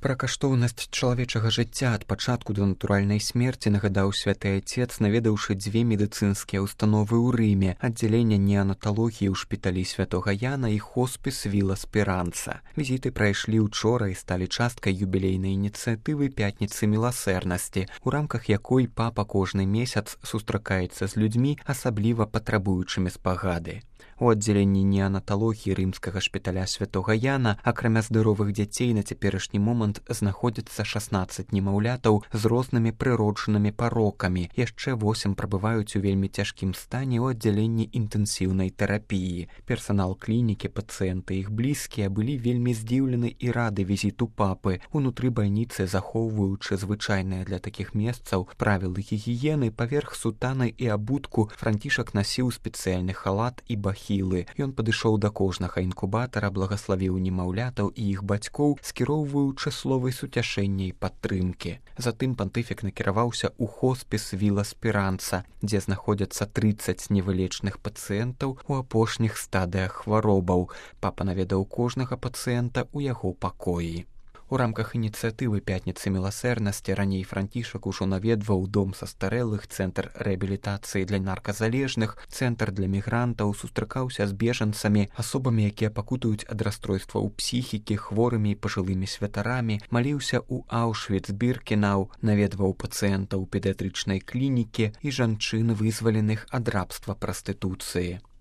Пра каштоўнасць чалавечага жыцця ад пачатку да натуральнай смерці нагадаў святы айцец, наведаўшы 2 медыцынскія ўстановы ў Рыме, аддзяленне неанаталогіі ў шпіталі святога Яна і хоспіс Віла Спіранца. Візіты прайшлі учора і сталі часткай юбілейнай ініцыятывы пятніцы міласэрнасці, у рамках якой папа кожны месяц сустракаецца з людзьмі, асабліва патрабуючымі спагады. У аддзяленні неанаталогіі рымскага шпіталя святога Яна, акрамя здаровых дзяцей, на цяперашні момант знаходзіцца 16 немаўлятаў з рознымі прыроджанымі парокамі. Яшчэ 8 прабываюць у вельмі цяжкім стане ў аддзяленні інтэнсіўнай тэрапіі. Персанал клінікі, пацыенты і іх блізкія былі вельмі здзіўлены і рады візіту папы. Унутры бальніцы, захоўваючы звычайныя для такіх месцаў правілы гігіены, паверх сутаны і абутку Францішак насіў спецыяльны халат і бахілы. Ён падышоў да кожнага інкубатара, благаславіў немаўлятаў і іх бацькоў, скіроўваючы словы суцяшэння і падтрымкі. Затым пантыфік накіраваўся ў хоспіс Віла Спіранца, дзе знаходзяцца 30 невылечных пацыентаў у апошніх стадыях хваробаў. Папа наведаў кожнага пацыента ў яго пакоі. У рамках ініцыятывы пятніцы міласэрнасці раней Францішак ужо наведваў дом састарэлых, цэнтр рэабілітацыі для нарказалежных, цэнтр для мігрантаў, сустракаўся з бежанцамі, асобамі, якія пакутаюць ад расстройстваў псіхікі, хворымі і пажылымі святарамі, маліўся ў Аўшвіц-Біркенау, наведваў пацыентаў педыятрычнай клінікі і жанчын, вызваленых ад рабства прастытуцыі.